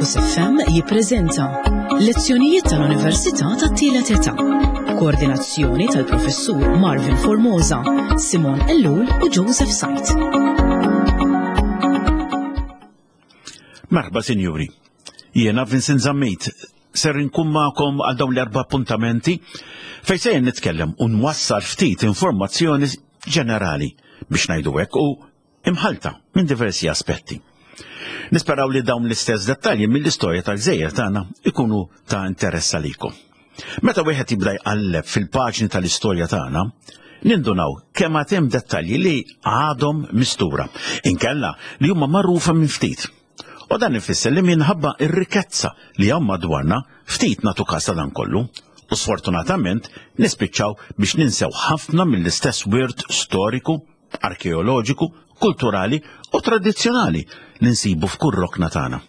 Campus FM jippreżenta Lezzjonijiet tal-Università tat-Tielet Età. Koordinazzjoni tal-Professur Marvin Formosa, Simon Ellul u Joseph Sajt. Merħba, sinjuri. Jiena Vincent Zammit, ser inkun magħkom għal dawn l-erba' appuntamenti fejn se nitkellem u nwassal ftit informazzjoni ġenerali biex ngħidu hekk u imħalta minn diversi aspetti. Nisperaw li dawn l-istess dettalji mill-istorja tal-gżejjer tagħna ikunu ta' interess għalikom. Meta wieħed jibda jqalleb fil-paġni tal-istorja tagħna, nindunaw kemm għad hemm dettalji li għadhom mistura, inkella li huma magħrufa minn ftit. U dan ifisser li minħabba r-rikkezza li hawn madwarna ftit nagħtu każ ta' dan kollu u sfortunatament nispiċċaw biex ninsew ħafna mill-istess wirt storiku, arkeoloġiku, kulturali u tradizzjonali li nsibu f'kull rokna tagħna.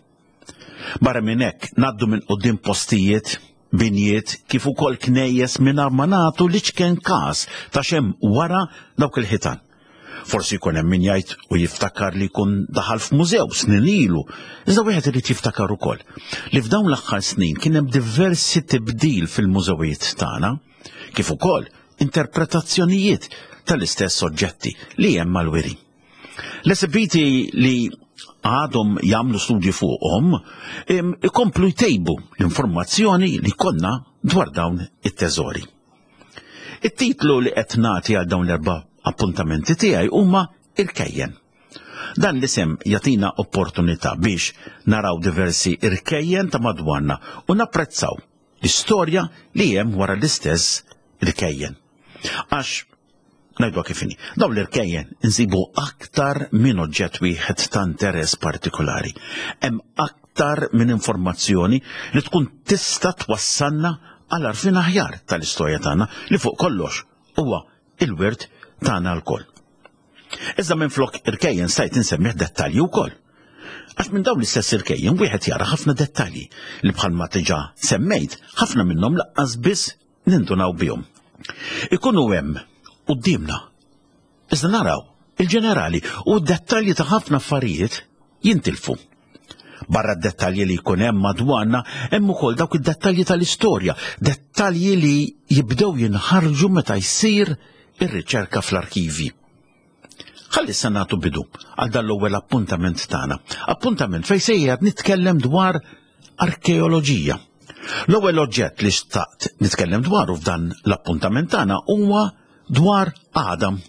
Barra minn hekk ngħaddu minn quddiem postijiet, binjiet kif ukoll knejjes mingħajr ma nagħtu l-iċken każ ta' x'hemm wara dawk il-ħitan. Forsi jkun hemm min jgħid u jiftakar li jkun daħal f'mużew snin ilu, iżda wieħed irid jiftakar ukoll li f'dawn l-aħħar snin kien hemm diversi tibdil fil-mużewijiet tagħna, kif ukoll interpretazzjonijiet tal-istess oġġetti li hemm mal-wiri. L-esibiti li għadhom jagħmlu studji fuqhom ikomplu jtejbu l-informazzjoni li konna dwar dawn it-teżori. It-titlu li qed nagħti għal dawn l-erba' appuntamenti tiegħi huma irkejjen. Dan l-isem jagħtina opportunità biex naraw diversi irkejjen ta' madwarna u napprezzaw l-istorja li hemm wara l-istess irkejjen. Għax Ngħidwa kif inhi. Dawn l-irkejjen insibu aktar minn oġġett wieħed ta' interess partikolari. Hemm aktar minn informazzjoni li tkun tista' twassalna għal għarfien aħjar tal-istorja tagħna li fuq kollox huwa il-wirt tagħna lkoll. Iżda minflok irkejjen stajt insemmih dettalji wkoll. Għax minn dawn l-istess irkejjen wieħed jara ħafna dettalji li bħalma diġà semmejt ħafna minnhom laqqas biss nindunaw bihom. Ikunu hemm quddiemna. Iżda naraw il-ġenerali u d-dettalji ta' ħafna affarijiet jintilfu. Barra d-dettalji li jkun hemm madwarna, hemm ukoll dawk id-dettalji tal-istorja, dettalji li jibdew jinħarġu meta jsir ir-riċerka fl-arkivi. Ħalli issa nagħtu bidu għal dan l-ewwel appuntament tagħna. Appuntament fejn sejjer nitkellem dwar arkeoloġija. L-ewwel oġġett li xtaqt nitkellem dwaru f'dan l-appuntament tagħna huwa dwar Adam.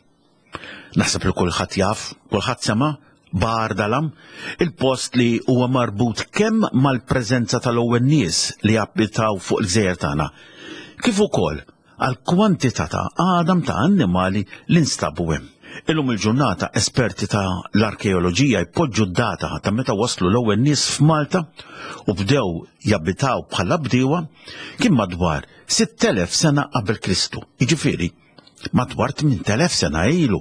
Naħseb li kulħadd jaf, kulħadd sema' Bar Dalam, il-post li huwa marbut kemm mal-preżenza tal-ewwel nies li abitaw fuq il-gżejjer tagħna, kif ukoll għal kwantità ta' għadam ta' annimali li nstabu hemm. Illum il-ġurnata esperti ta' l-arkeoloġija jpoġġu d-data ta' meta waslu l-ewwel nies f'Malta u bdew jabitaw bħala bdiewa kien madwar 6,000 sena qabel Kristu, jiġifieri madwar 8,000 sena ilu.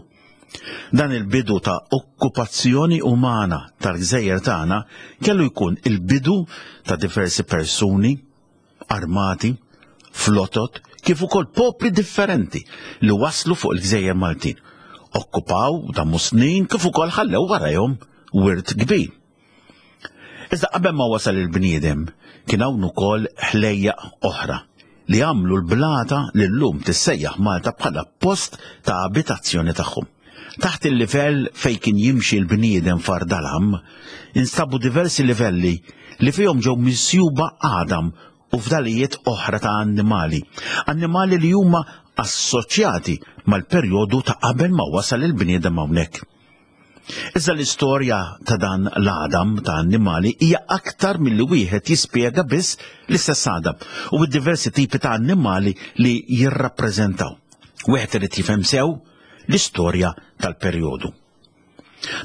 Dan il-bidu ta' okkupazzjoni umana tal-gżejjer tagħna kellu jkun il-bidu ta' diversi persuni, armati, flotot, kif ukoll popli differenti li waslu fuq il-gżejjer Maltin. Okkupaw damu snin kif ukoll ħallew warajhom wirt kbir. Iżda qabel ma wasal il-bniedem, kien hawn ukoll ħlejjaq oħra li għamlu l-blata li llum tissejjaħ Malta bħala post ta' abitazzjoni tagħhom. Taħt il-livell fejn kien jimxi l-bniedem f'Ardalam, instabu diversi livelli li fihom ġew misjuba għadam u fdalijiet oħra ta' annimali, annimali li huma assoċjati mal-perjodu ta' qabel ma wasal il-bniedem hawnhekk. Iżda l-istorja ta' dan l-għadam ta' annimali hija aktar milli wieħed jispjega biss l-istess għadam u d-diversi tipi ta' annimali li jirrappreżentaw. Wieħed irid jifhem sew l-istorja tal-perjodu.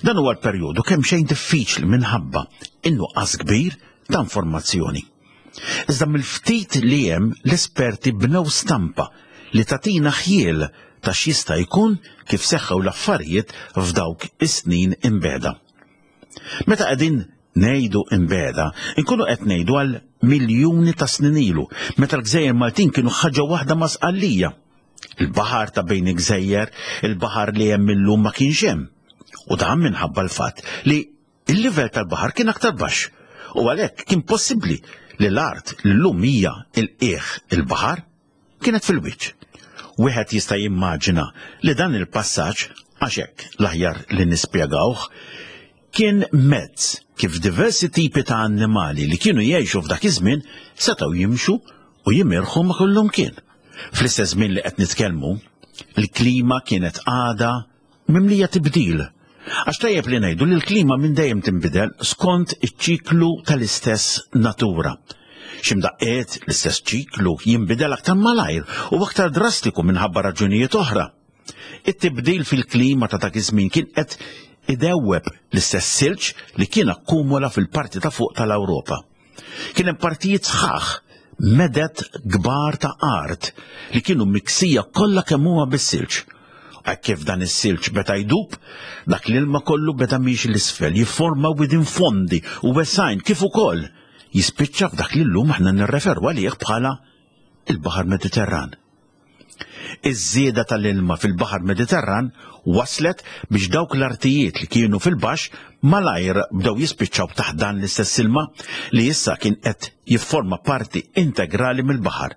Dan huwa l-perjodu kemm xejn diffiċli minħabba in-nuqqas kbir ta' informazzjoni. Iżda mill-ftit li hemm l-esperti bnew stampa li tagħtina ħjiel ta' x'jista' jkun kif seħħew l-affarijiet f'dawk is-snin imbegħda. Meta qegħdin ngħidu imbegħda, inkunu qed ngħidu għal miljuni ta' snin ilu, meta l-gżejjer Maltin kienu ħaġa waħda ma' Sqallija. Il-baħar ta' bejn il-gżejjer, il-baħar li hemm illum ma kienx hemm. U dan minħabba l-fatt li il-livell tal-baħar kien aktar baxx. u għalhekk kien possibbli li l-art li llum hija l-qiegħ il-baħar kienet fil-wiċċ. Wieħed jista' jimmaġina li dan il-passaġġ, għax hekk l-aħjar li nispjegawh, kien mezz kif diversi tipi ta' annimali li kienu jgħixu f'dak iż-żmien setgħu jimxu u jimirħu ma' kullumkien. Fl-istess żmien li qed nitkellmu, il-klima kienet għadha mimlija tibdil. Għax tajjeb li ngħidu li l-klima minn dejjem tinbidel skont iċ-ċiklu tal-istess natura. X'imdaqqiet l-istess ċiklu jinbidel aktar malajr u aktar drastiku minħabba raġunijiet oħra. It-tibdil fil-klima ta' dak iż-żmien kien qed idewweb l-istess silġ li kien akkumula fil-parti ta' fuq tal-Ewropa. Kien hemm partijiet sħaħ, meded kbar ta' art li kienu miksija kollha kemm huma bis-silġ. Hekk kif dan is-silġ beda jdub, dak l-ilma kollu beda miexi 'l isfel, jifforma widien fondi u wesgħin kif ukoll jispiċċa f'dak li llum aħna nirreferu għalih bħala il-Baħar Mediterran. Iż-żieda tal-ilma fil-Baħar Mediterran wasslet biex dawk l-artijiet li kienu fil-baxx malajr bdew jispiċċaw taħt dan l-istess ilma li issa kien qed jifforma parti integrali mill-baħar.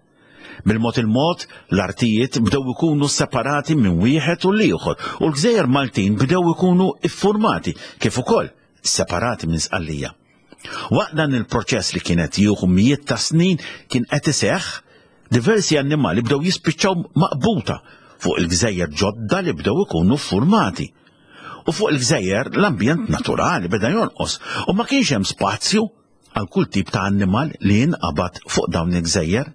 Bil-mod il-mod, l-artijiet bdew ikunu separati minn wieħed u l-ieħor u l-gżejjer Maltin bdew ikunu iffurmati kif ukoll separati minn Sqallija. Waqt dan il-proċess li kien qed jieħu mijiet ta' snin kien qed iseħħ, diversi annimali bdew jispiċċaw maqbuta fuq il-gżejjer ġodda li bdew ikunu ffurmati. U fuq il-gżejjer l-ambjent naturali beda jonqos u ma kienx hemm spazju għal kull tip ta' annimal li jinqabad fuq dawn il-gżejjer.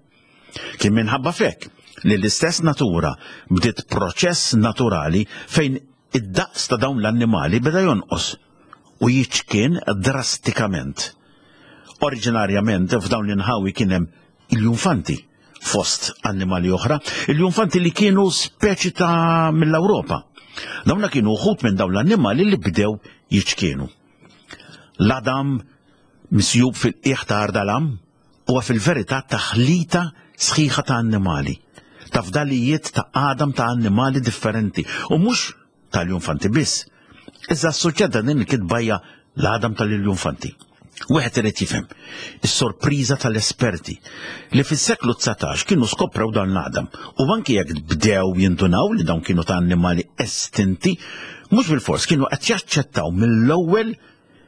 Kien minħabba f'hekk li l-istess natura bdiet proċess naturali fejn id-daqs ta' dawn l-annimali beda jonqos u jiċkien drastikament. Oriġinarjament f'dawn l-inħawi kien hemm il-junfanti fost annimali oħra, il-junfanti li kienu speċi ta' mill-Ewropa. Dawna kienu uħut minn dawn l-annimali li bdew jiċkienu. L-adam misjub fil-qiegħ ta' Ardalam huwa fil-verità taħlita sħiħa ta' annimali, ta' fdalijiet ta' għadam ta' annimali differenti u mhux tal-junfanti biss. Iżda s-suġġett ta' din il-kitba hija l-għadam tal-iljunfanti. Wieħed irid jifhem is-sorpriża tal-esperti li fis-seklu 19 kienu skoprew dan l-għadam u anki jekk bdew jindunaw li dawn kienu ta' annimali estinti, mhux bilfors kienu qed jaċċettaw mill-ewwel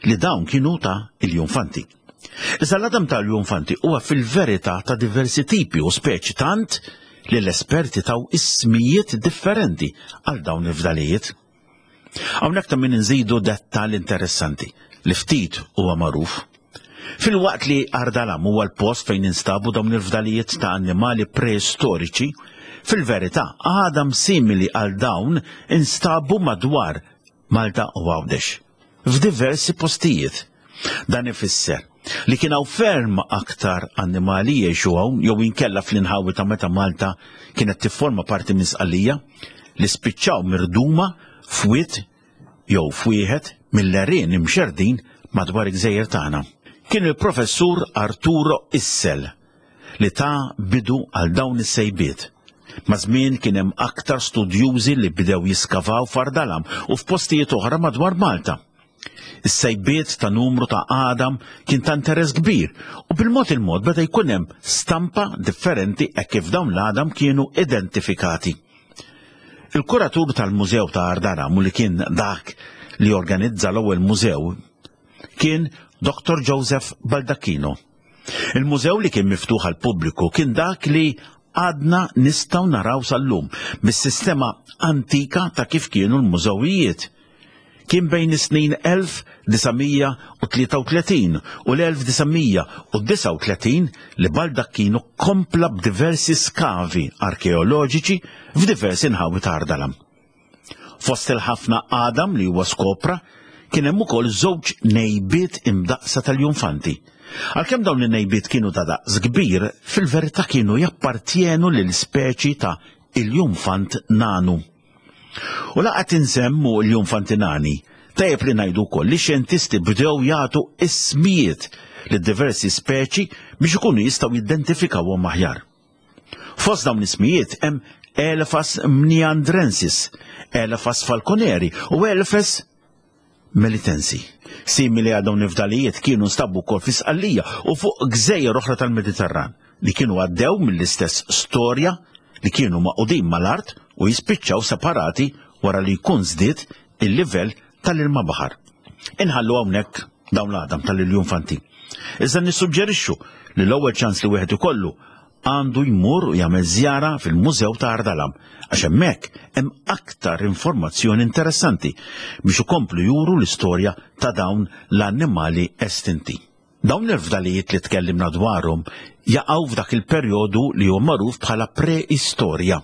li dawn kienu ta' iljunfanti. Iżda l-għadam ta' iljunfanti huwa fil-verità ta' diversi tipi u speċi tant li l-esperti taw ismijiet differenti għal dawn il-fdalijiet. Hawnhekk ta' min inżidu dettal interessanti li ftit huwa magħruf. Filwaqt li Ardalam huwa l-post fejn instabu dawn il-fdalijiet ta' annimali preistoriċi, fil-verità għadam simili għal dawn instabu madwar Malta u Għawdex, f'diversi postijiet. Dan ifisser li kien hawn ferm aktar annimali jgħixu hawn jew inkella fl-inħawi ta' meta Malta kienet tifforma parti minn Sqallija li spiċċaw mirduma f'wied jew f'wieħed mill-għerien imxerrdin madwar il-gżejjer tagħna. Kien il-Professur Arturo Issel li ta bidu għal dawn is-sejbiet. Maż-żmien kien hemm aktar studjużi li bdew jiskavaw f'Ardalam u f'postijiet oħra madwar Malta. Is-sejbiet ta' numru ta' għadam kien ta' interess kbir u bil-mod il-mod beda jkun hemm stampa differenti hekk kif dawn l-għadam kienu identifikati. Il-kuratur tal-Mużew ta' Ardalam u li kien dak li organizza l-ewwel mużew kien Dr. Joseph Baldacchino. Il-mużew li kien miftuħ għall-pubbliku kien dak li għadna nistgħu naraw sal-lum bis-sistema antika ta' kif kienu l-mużewijiet. Kien bejn is-snin 1933 u l-1939 li Baldacchino kompla b'diversi skavi arkeoloġiċi f'diversi nħawi ta' Ardalam. Fost il-ħafna għadam li huwa skopra, kien hemm ukoll żewġ nejbiet imdaqqsa tal-junfanti. Għalkemm dawn in-nejbiet kienu ta' daqs kbir, fil-verità kienu jappartjenu lil speċi ta' iljunfant nanu. U la qed insemmu l-junfanti nani, tajjeb li ngħidu wkoll li xjentisti bdew jagħtu ismijiet lid diversi speċi biex ikunu jistgħu jidentifikawhom aħjar. Fost dawn l-ismijiet hemm Elephas mniandrensis, Elephas falconeri u Elephas melitensi. Simili għal dawn il-fdalijiet kienu nstabu wkoll fi Sqallija u fuq gżejjer oħra tal-Mediterran li kienu għaddew mill-istess storja li kienu magħqudin mal-art u jispiċċaw separati wara li jkun żdied il-livell tal-ilma baħar. Inħallu hawnhekk dawn l-għadam tal-iljunfanti. Iżda nissuġġerixxu li l-ewwel ċans li wieħed ikollu għandu jmur u jagħmel żjara fil-Mużew ta' Ardalam għax hemmhekk hemm aktar informazzjoni interessanti biex ikomplu juru l-istorja ta' dawn l-annimali estinti. Dawn il-fdalijiet li tkellimna dwarhom jaqgħu f'dak il-perjodu li huwa magħruf bħala preistorja.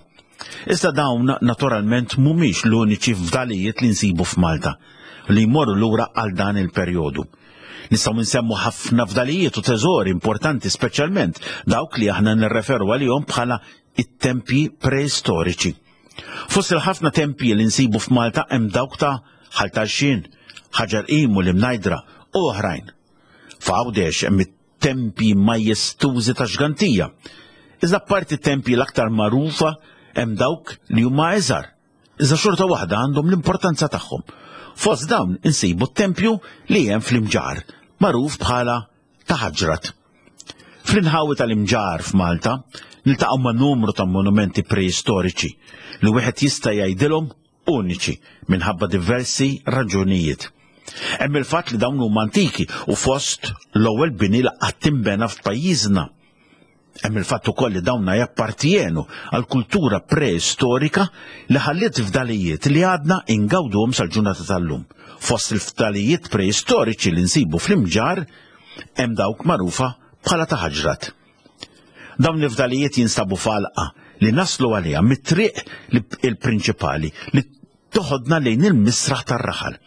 Iżda dawn naturalment mhumiex l-uniċi fdalijiet li nsibu f'Malta li jmorru lura għal dan il-perjodu. Nistgħu nsemmu ħafna fdalijiet u teżori importanti speċjalment dawk li aħna nirreferu għalihom bħala it-tempji preistoriċi. Fost il-ħafna tempji li nsibu f'Malta hemm dawk ta' Ħal Tarxien, Ħaġar Qim u l-Imnajdra u oħrajn. F'Għawdex hemm it-tempji majestużi ta' Xgantija. Iżda apparti t-tempji l-aktar magħrufa hemm dawk li huma iżgħar, iżda xorta waħda għandhom l-importanza tagħhom. Fost dawn insibu t-tempju li hemm fl-Imġarr, magħruf bħala ta' Ħaġrat. Fl-inħawi tal-Imġarr f'Malta niltaqgħu ma' numru ta' monumenti preistoriċi li wieħed jista' jgħidilhom uniċi minħabba diversi raġunijiet. Hemm il-fatt li dawn huma antiki u fost l-ewwel bini li qatt inbena f'pajjiżna. Hemm il-fatt ukoll li dawna jappartjenu għal kultura preistorika li ħalliet fdalijiet li għadna ingawduhom sal-ġurnata tal-lum. Fost il-fdalijiet preistoriċi li nsibu fl-Imġarr hemm dawk magħrufa bħala ta' Ħaġrat. Dawn il-fdalijiet jinstabu f'għalqa li naslu għaliha mit-triq il-prinċipali li toħodna lejn il-misraħ tar-raħal.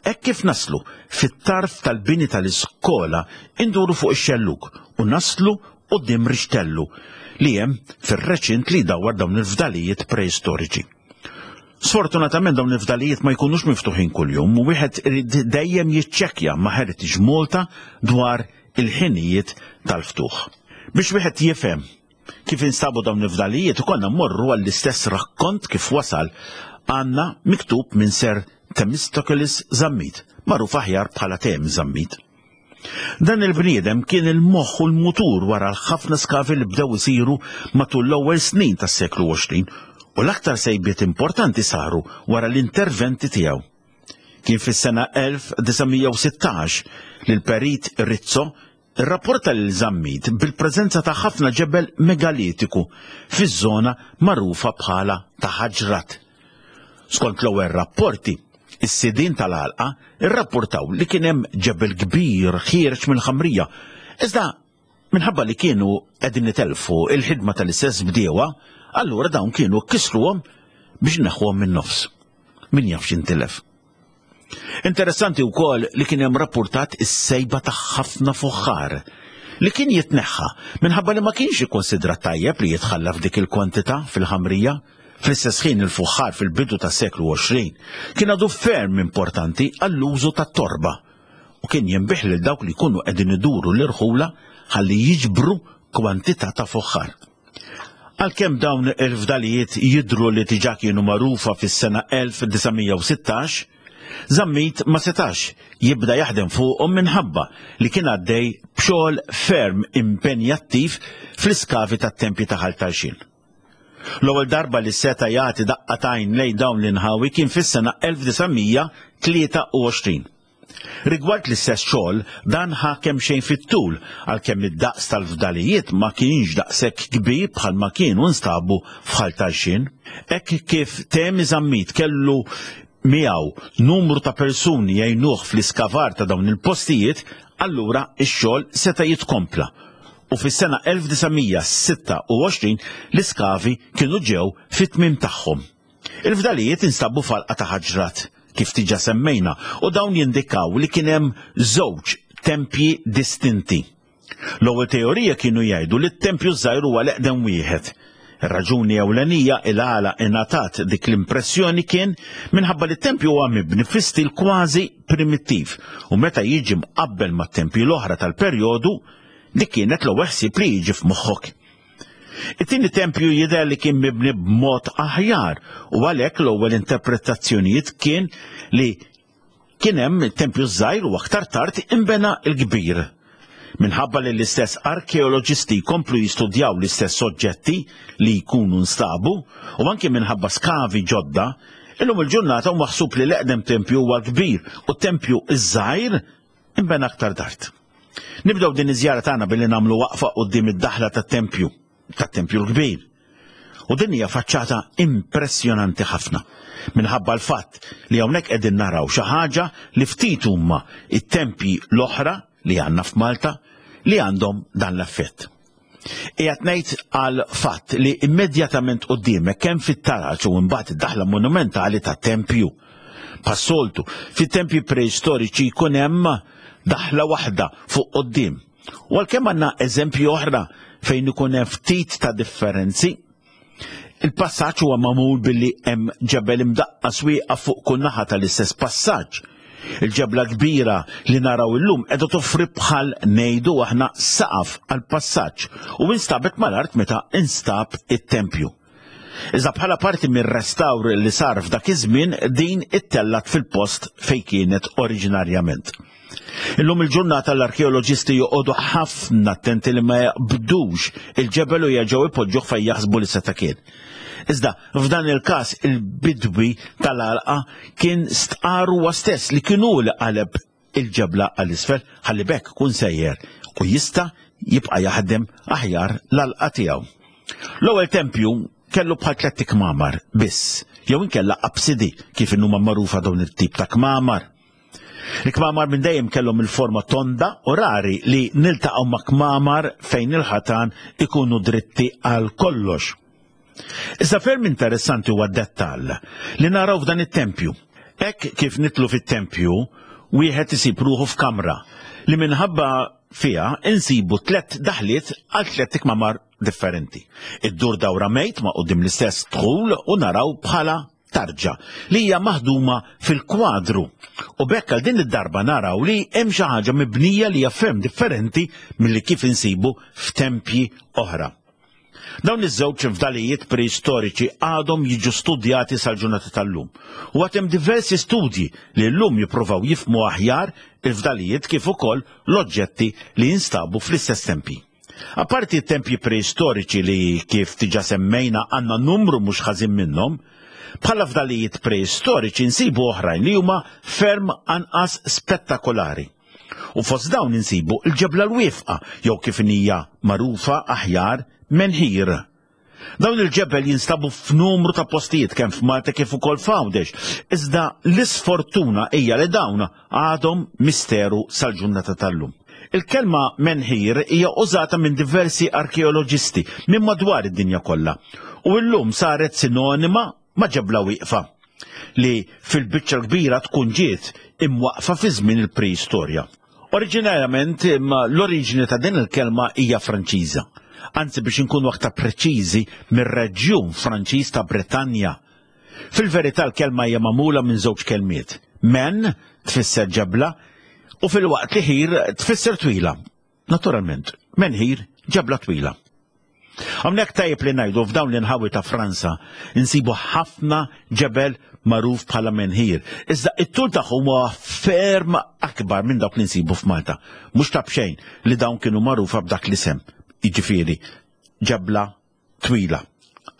Hekk kif naslu fit-tarf tal-bini tal-iskola induru fuq ix-xellug u naslu quddiem rixtellu li hemm fir-reċint li jdawwar dawn il-fdalijiet preistoriċi. Sfortunatament dawn il-fdalijiet ma jkunux miftuħin kuljum u wieħed irid dejjem jiċċekkja ma' Heritage Malta dwar il-ħinijiet tal-ftuħ. Biex wieħed jifhem Kif instabu dawn il-fdalijiet ikollna mmorru għall-istess rakkont kif wasal għandna miktub minn Sir Themistocles Zammit, magħruf aħjar bħala Temi Zammit. Dan il-bniedem kien il-moħħ u l-mutur wara l-ħafna skavi li bdew isiru matul l-ewwel snin tas-seklu 20 u l-aktar sejbiet importanti saru wara l-interventi tiegħu. Kien fis-sena 1916 li l-perit Rizzo Irrapporta lil Zammit bil-preżenza ta' ħafna ġebel megalitiku fiż-żona magħrufa bħala ta' Ħaġrat. Skont l-ewwel rapporti, is-sidien tal-għalqa rrapportaw li kien hemm ġebel kbir ħiereġ mill-ħamrija, iżda minħabba li kienu qegħdin itelfu l-ħidma tal-istess bdiewa, allura dawn kienu kisruhom biex neħħuhom min-nofs. Min jaf x'intilef. Interessanti wkoll li kien hemm rappurtat is-sejba ta' ħafna fuħħar li kien jitneħħa minħabba li ma kienx ikkonsidrat tajjeb li jitħalla f'dik il-kwantità fil-ħamrija. Fl-istess ħin il-fuħħar fil-bidu tas-seklu 20 kien għadu ferm importanti għall-użu tat-torba u kien jinbigħ lil dawk li jkunu qegħdin iduru l-irħula ħalli jiġbru kwantità ta' fuħħar. Għalkemm dawn il-fdalijiet jidhru li diġà kienu magħrufa fis-sena 1916, Zammit ma setax jibda jaħdem fuqhom minħabba li kien għaddej b'xogħol ferm impenjattiv fl-iskavi tat-tempji ta' Ħal Tarxien. L-ewwel darba li seta' jagħti daqqa t'għajn lejn dawn l-inħawi kien fis-sena 1923. Rigward l-istess xogħol, dan ħa kemxejn fit-tul, għalkemm id-daqs tal-fdalijiet ma kienx daqshekk kbir bħalma kienu nstabu f'Ħal Tarxien. Hekk kif Temi Zammit kellu miegħu numru ta' persuni jgħinuh fl-iskavar ta' dawn il-postijiet, allura x-xogħol seta' jitkompla u fis-sena 1926 l-iskavi kienu ġew fit-tmiem tagħhom. Il-fdalijiet instabu f'għalqa ta' ħaġrat, kif diġà semmejna, u dawn jindikaw li kien hemm żewġ tempji distinti. L-ewwel teorija kienu jgħidu li t-tempju ż-żgħir huwa l-eqdem wieħed. Ir-raġuni ewlenija il għala ingħatat dik l-impressjoni kien minħabba li t-tempju huwa mibni fi stil kważi primittiv u meta jiġi mqabbel mat-tempji l-oħra tal-perjodu, dik kienet l-ewwel ħsieb li jiġi f'moħħok. It-tieni tempju jidher li kien mibni b'mod aħjar u għalhekk l-ewwel interpretazzjonijiet kien li Kien hemm it-tempju ż-żgħir u aktar tard inbena l-kbir. Minħabba li l-istess arkeoloġisti jkomplu jistudjaw l-istess oġġetti li jkunu nstabu u anki minħabba skavi ġodda, illum il-ġurnata hu maħsub li l-eqdem tempju huwa l-kbir u t-tempju ż-żgħir inbena aktar tard. Nibdew din iż-żjara tagħna billi nagħmlu waqfa quddiem id-daħla tat-tempju, tat-tempju l-kbir. U din hija faċċata impressjonanti ħafna minħabba l-fatt li hawnhekk qegħdin naraw xi ħaġa li ftit huma it-tempji l-oħra li għandna f'Malta li għandhom dan l-effett. Qiegħed ngħid għal fatt li immedjatament quddiemek kemm fit-taraġ u mbagħad id-daħla monumentali tat-tempju. Passoltu, fit-tempji preistoriċi jkun hemm daħla waħda fuq quddiem. U għalkemm għandna eżempji oħra fejn ikun hemm ftit ta' differenzi, il-passaġġ huwa magħmul billi hemm ġebel imdaqqas wieqaf fuq kull naħa tal-istess passaġġ. Il-ġebla kbira li naraw illum qiegħda toffri bħal ngħidu aħna saqaf għall-passaġġ u instabet mal-art meta instab it-tempju. Iżda bħala parti mir-restawr li sar f'dak iż-żmien din ittellgħet fil-post fejn kienet oriġinarjament. Illum il-ġurnata l-arkeoloġisti joqogħdu ħafna attenti li ma jaqbdux il-ġebel u jerġgħu ipoġġuh fejn jaħsbu li seta' kien. Iżda f'dan il-każ il-bidwi tal-għalqa kien stqar huwa stess li kien hu li qaleb il-ġebla għal isfel ħalli b'hekk kun sejjer u jista' jibqa' jaħdem aħjar l-għalqa tiegħu. L-ewwel tempju kellu bħal tlett ikmamar biss, jew inkella apsidi kif inhuma magħrufa dawn it-tip ta' kmamar. Il-kmamar minn dejjem kellhom il-forma tonda u rari li niltaqgħu ma' kmamar fejn il-ħatan ikunu dritti għal kollox. Iżda ferm interessanti huwa d-dettall li naraw f'dan it-tempju. Hekk kif nidħlu fit-tempju, wieħed isib ruħu f'kamra li minħabba fiha insibu tlett daħliet għal tlett ikmamar differenti. Iddur dawra mejt ma' quddiem l-istess dħul u naraw bħala tarġa li hija maħduma fil-kwadru. U b'hekk għal din id-darba naraw li hemm xi ħaġa mibnija li hija ferm differenti milli kif insibu f'tempji oħra. Dawn iż-żewġ fdalijiet preistoriċi għadhom jiġu studjati sal-ġurnata tal-lum. U għad hemm diversi studji li llum jippruvaw jifhmu aħjar il-fdalijiet kif ukoll l-oġġetti li jinstabu fl-istess tempji. Apparti t-tempji preistoriċi li kif diġà semmejna għandna numru mhux ħażin minnhom, bħala fdalijiet preistoriċi nsibu oħrajn li huma ferm anqas spettakolari. U fost dawn insibu l-ġebla l-wieqfa jew kif inhija magħrufa aħjar menhir. Dawn il-ġebel jinstabu f'numru ta' postijiet kemm f'Malta kif ukoll f'Għawdex, iżda l-isfortuna hija li dawn għadhom misteru sal-ġurnata tal-lum. Il-kelma menhir hija użata minn diversi arkeoloġisti minn madwar id-dinja kollha u llum saret sinonima ma' ġebla wieqfa, li fil-biċċa l-kbira tkun ġiet imwaqqfa fi żmien il-preistorja. Oriġinarjament imma l-oriġini ta' din il-kelma hija Franċiża, anzi biex inkunu aktar preċiżi mir-reġjun Franċiż ta' Bretanja. Fil-verità l-kelma hija magħmula minn żewġ kelmiet, men tfisser ġebla u filwaqt li ħir tfisser twila. Naturalment, menhir ġebla twila. Hawnhekk tajjeb li ngħidu f'dawn l-inħawi ta' Franza insibu ħafna ġebel magħruf bħala menhir, iżda it-tul tagħhom huwa ferm akbar minn dawk li nsibu f'Malta. Mhux ta' b'xejn li dawn kienu magħrufa b'dak l-isem, jiġifieri ġebla twila.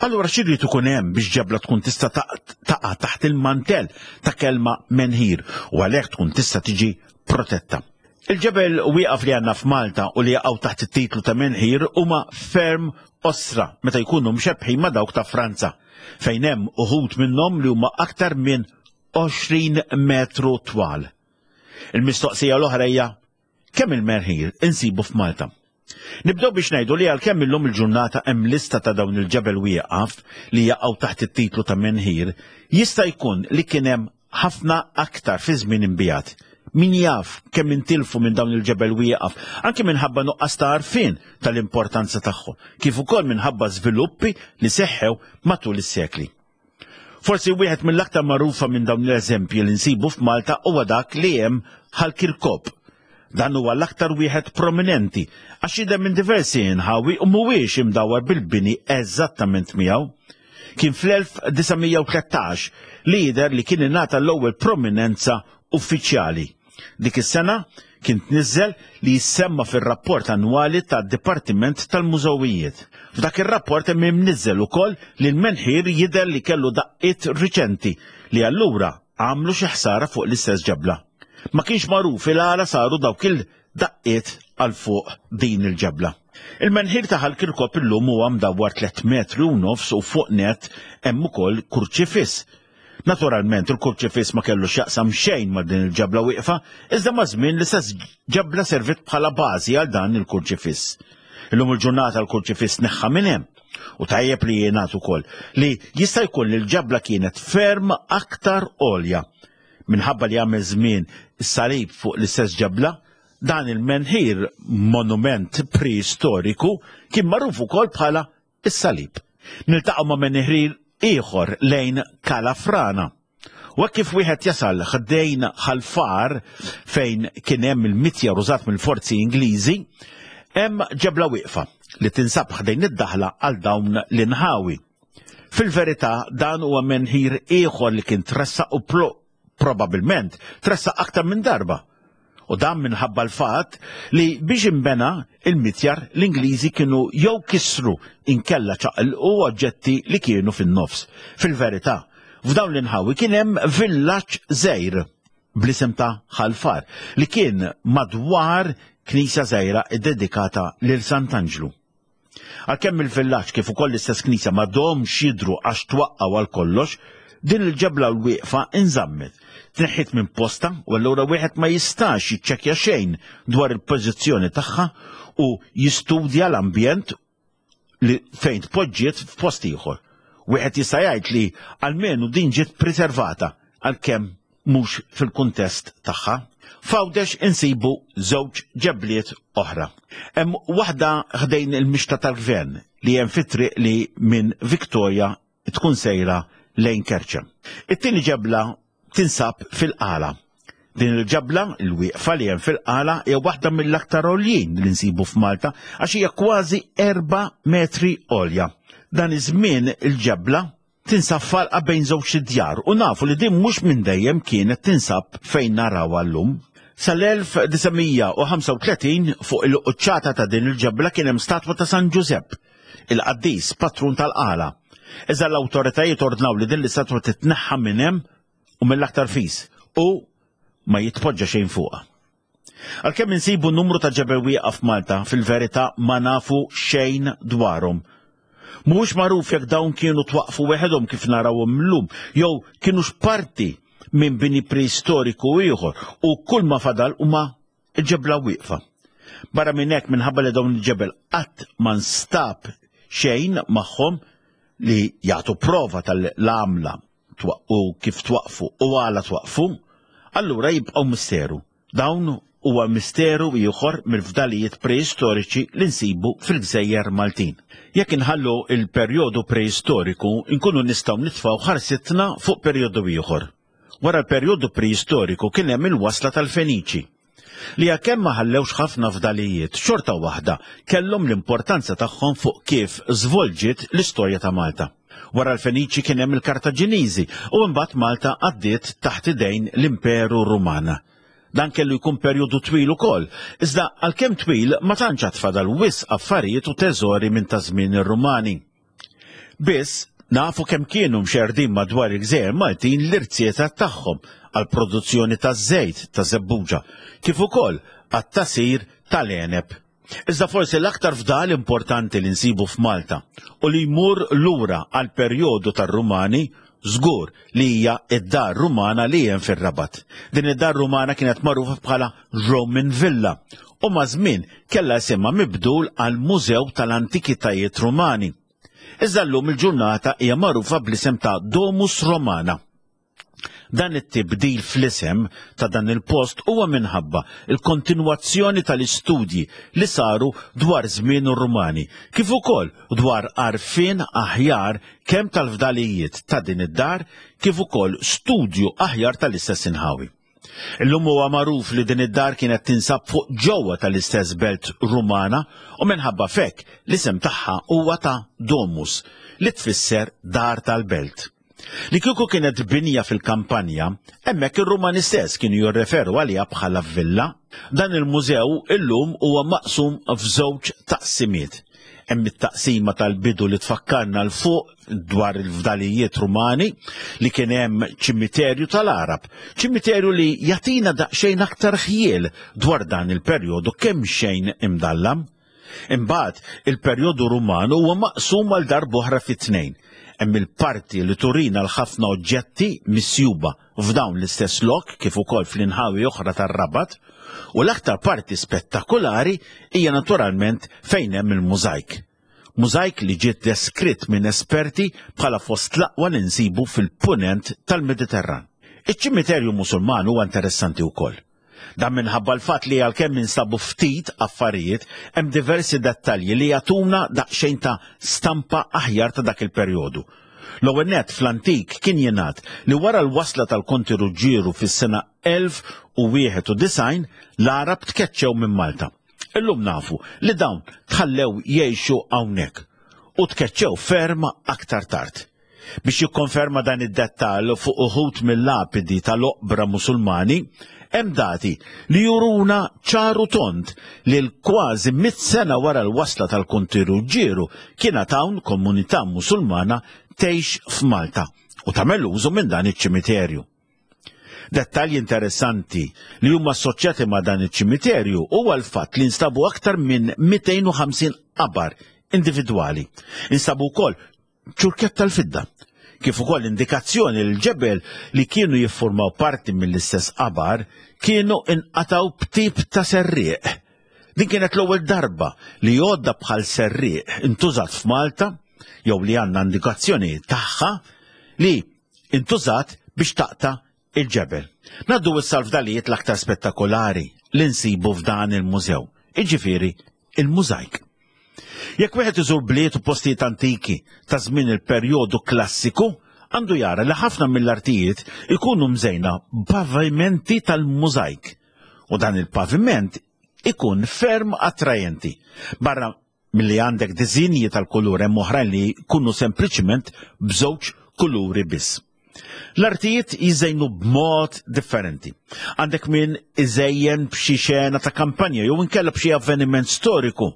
Allura x'irid ikun hemm biex ġebla tkun tista' taqa' taħt il-mantell ta' kelma menhir u għalhekk tkun tista' tiġi protetta. Il-ġebel wieqaf li għandna f'Malta u li jaqgħu taħt it-titlu ta' menhir huma ferm qosra meta jkunu mxebbħin ma' dawk ta' Franza, fejn hemm uħud minnhom li huma aktar minn 20 metru twal. Il-mistoqsija l-oħra hija kemm il-menhir insibu f'Malta? Nibdew biex ngħidu li għalkemm illum il-ġurnata hemm lista ta' dawn il-ġebel wieqaf li jaqgħu taħt it-titlu ta' menhir, jista' jkun li kien hemm ħafna aktar fi żmien imbiegħed. Min jaf kemm intilfu minn dawn il-ġebel wieqaf, anki minħabba nuqqas ta' għarfien tal-importanza tagħhom, kif ukoll minħabba żviluppi li seħħew matul is-sekli. Forsi wieħed mill-aktar magħrufa minn dawn l-eżempji li nsibu f'Malta huwa dak li hemm Ħal Kirkop. Dan huwa l-aktar wieħed prominenti għax jidher minn diversi inħawi u mhuwiex imdawwar bil-bini eżattament miegħu. Kien fl-1913 li jidher li kien ingħata l-ewwel prominenza uffiċjali. Dik is-sena kien tniżżel li jissemma fir-rapport annwali tad-Dipartiment tal-Mużewijiet. F'dak ir-rapport hemm imniżżel ukoll li l-menħir jidher li kellu daqqiet riċenti li allura għamlu xi ħsara fuq l-istess ġebla. Ma kienx magħruf il-għala saru dawk il-daqqiet għal fuq din il-ġebla. Il-menħir ta' Ħal Kirkop illum huwa mdawwar tlett metri u nofs u fuq nett hemm ukoll kurċifiss. Naturalment il-kurċifiss ma kellu x'jaqsam xejn ma' din il-ġebla wieqfa, iżda maż-żmien l-istess ġebla serviet bħala bażi għal dan il-kurċifiss. Illum il-ġurnata l-kurċifiss tneħħa minn hemm. U tajjeb li jingħad ukoll li jista' jkun li l-ġebla kienet ferm aktar għolja. Minħabba li għamel żmien is-salib fuq l-istess ġebla, dan il-menħir monument preistoriku kien magħruf ukoll bħala is-salib. Niltaqgħu ma' menħir ieħor lejn Kalafrana. U hekk kif wieħed jasal ħdejn Ħal-Far fejn kien hemm il-mitjar użat mill-forzi Ingliżi, hemm ġebla wieqfa li tinsab ħdejn id-daħla għal dawn l-inħawi. Fil-verità dan huwa menħir ieħor li kien tressaq u probabilment tressaq aktar minn darba. U dan minħabba l-fatt li biex inbena il-mitjar l-Ingliżi kienu jew kissru inkella ċaqilqu oġġetti li kienu fin-nofs. Fil-verità, f'dawn l-inħawi kien hemm villaġġ żgħir bl-isem ta' Ħal Far li kien madwar knisja żgħira ddedikata lil Sant'Anġlu. Għalkemm il-villaġġ kif ukoll l-istess knisja m'għadhomx jidhru għax twaqqgħu għal kollox, din il-ġebla l-wieqfa inżammet. Tneħħiet minn postha u allura wieħed ma jistax jiċċekkja xejn dwar il-pożizzjoni tagħha u jistudja l-ambjent li fejn tpoġġiet f'post ieħor. Wieħed jista' jgħid li almenu din ġiet preservata għalkemm mhux fil-kuntest tagħha. F'Għawdex insibu żewġ ġebliet oħra. Hemm waħda ħdejn il-mixta tal-gvern li hemm fit-triq li minn Victoria tkun sejra lejn Kerċem. It-tieni ġebla tinsab fil-Qala. Din il-ġebla, il-wieqfa li hemm fil-Qala, hija waħda mill-aktar għoljin li nsibu f'Malta għax hija kważi erba' metri għolja. Dan iż-żmien il-ġebla tinsab f'għalqa bejn żewġt idjar u nafu li din mhux minn dejjem kienet tinsab fejn narawha llum. Sal-1935 fuq il-quċċata ta' din il-ġebla kien hemm statwa ta' San Ġużepp, il-qaddis patrun tal-Qala. Iżda l-awtoritajiet ordnaw li din l-istatwa titneħħa minn hemm u mill-aktar fis u ma jitpoġġa xejn fuqha. Għalkemm insibu numru ta' ġebel wieqaf f'Malta, fil-verità ma nafu xejn dwarhom. Mhuwiex magħruf jekk dawn kienu twaqqfu weħedhom kif narawhom llum, jew kinux parti minn bini preistoriku ieħor u kull ma fadal huma ġebla wieqfa. Barra minn hekk minħabba li dawn il-ġebel qatt ma nstab xejn magħhom li jagħtu prova tal-għamla u kif twaqqfu u għala twaqqfu, allura jibqgħu misteru. Dawn huwa misteru ieħor mill-fdalijiet preistoriċi li nsibu fil-gżejjer Maltin. Jekk inħallu l-perjodu preistoriku nkunu nistgħu nitfgħu ħarsitna fuq perjodu ieħor. Wara l-perjodu preistoriku kien hemm il-wasla tal-Feniċi. li għalkemm ma ħallewx ħafna fdalijiet, xorta waħda kellhom l-importanza tagħhom fuq kif żvolġiet l-istorja ta' Malta. Wara l-Feniċi kien hemm il-Kartaġiniżi u imbagħad Malta għaddiet taħt idejn l-Imperu Ruman. Dan kellu jkun perjodu twil ukoll, iżda għalkemm twil ma tantx għad fadal wisq affarijiet u teżori minn ta' żmien ir-Rumani. Biss, nafu kemm kienu mxerrdin madwar il-gżejjer Maltin l-irziezet tagħhom għall-produzzjoni taż-żejt taż-żebbuġa, kif ukoll għat-tagħsir tal-għeneb. Iżda forsi l-aktar fdal importanti li nsibu f'Malta u li jmur lura għall-perjodu tar-Rumani żgur li hija d-dar Rumana li hemm fir-Rabat. Din id-dar Rumana kienet magħrufa bħala Roman Villa u maż-żmien kellha isimha mibdul għal Mużew tal-Antikitajiet Rumani. Iżda llum il-ġurnata hija magħrufa bl-isem ta' Domus Romana. Dan it-tibdil fl-isem ta' dan il-post huwa minħabba l-kontinwazzjoni tal-istudji li saru dwar żmien ir-Rumani, kif ukoll dwar għarfien aħjar kemm tal-fdalijiet ta' din id-dar kif ukoll studju aħjar tal-istess inħawi. Illum huwa magħruf li din id-dar kienet tinsab fuq ġewwa tal-istess belt Rumana u minħabba f'hekk l-isem tagħha huwa ta' Domus, li tfisser dar tal-belt. Li kieku kienet binja fil-kampanja, hemmhekk ir-Rumani stess kienu jirreferu għaliha bħala villa. Dan il-mużew illum huwa maqsum f'żewġ taqsimiet. Hemm it-taqsima tal-bidu li tfakkarna 'l fuq dwar il-fdalijiet Rumani li kien hemm ċimiterju tal-Għarab, ċimiterju li jagħtina daqsxejn aktar ħjiel dwar dan il-perjodu kemm xejn imdallam. Imbagħad, il-perjodu Ruman huwa maqsum għal darb'oħra fi tnejn. Hemm il-parti li turina l-ħafna oġġetti misjuba f'dawn l-istess lok kif ukoll fl-inħawi oħra tar-Rabat, u l-aktar parti spettakulari hija naturalment fejn hemm il-mużajk. Mużajk li ġie deskritt minn esperti bħala fost l-aqwa li nsibu fil-Punent tal-Mediterran. Iċ-ċimiterju Musulman huwa interessanti wkoll. Dan minħabba l-fatt li għalkemm instabu ftit affarijiet, hemm diversi dettalji li jagħtuna daqsxejn ta' stampa aħjar ta' dak il-perjodu. L-ewwel nett fl-antik kien jingħad li wara l-wasla tal-Konti Ruġġieru fis-sena 1091 l-Għarab tkeċċew minn Malta. Illum nafu li dawn tħallew jgħixu hawnhekk u tkeċċew ferm aktar tard. Biex jikkonferma dan id-dettall fuq uħud mill-lapidi tal-oqbra Musulmani, hemm dati li juruna ċar u tond li l-kważi mitt sena wara l-wasla tal-Konti Ruġġieru kien għad hawn komunità Musulmana tgħix f'Malta u tagħmel użu minn dan iċ-ċimiterju. Dettalji interessanti li huma assoċjati ma' dan iċ-ċimiterju huwa l-fatt li nstabu aktar minn 250 qabar individwali. Instabu wkoll ċurkett tal-fidda, kif ukoll indikazzjoni li l-ġebel li kienu jiffurmaw parti mill-istess qabar kienu inqatgħu b'tip ta' serrieq. Din kienet l-ewwel darba li għodda bħal serrieq intużat f'Malta jew li għandna indikazzjoni tagħha li intużat biex taqta' il-ġebel. Ngħaddu issa l-fdalijiet l-aktar spettakolari li nsibu f'dan il-mużew, jiġifieri il-mużajk. Jekk wieħed iżur bliet u postijiet antiki ta' żmien il-perjodu klassiku, għandu jara li ħafna mill-artijiet ikunu mżejna b'pavimenti tal-mużajk. U dan il-paviment ikun ferm attrajenti. Barra milli għandek diżinji tal-kulur hemm oħrajn li jkunu sempliċiment b'żewġ kuluri biss. L-artijiet jiżejnu b'mod differenti. Għandek min iżejjen b'xi xena ta' kampanja jew inkella b'xi avveniment storiku.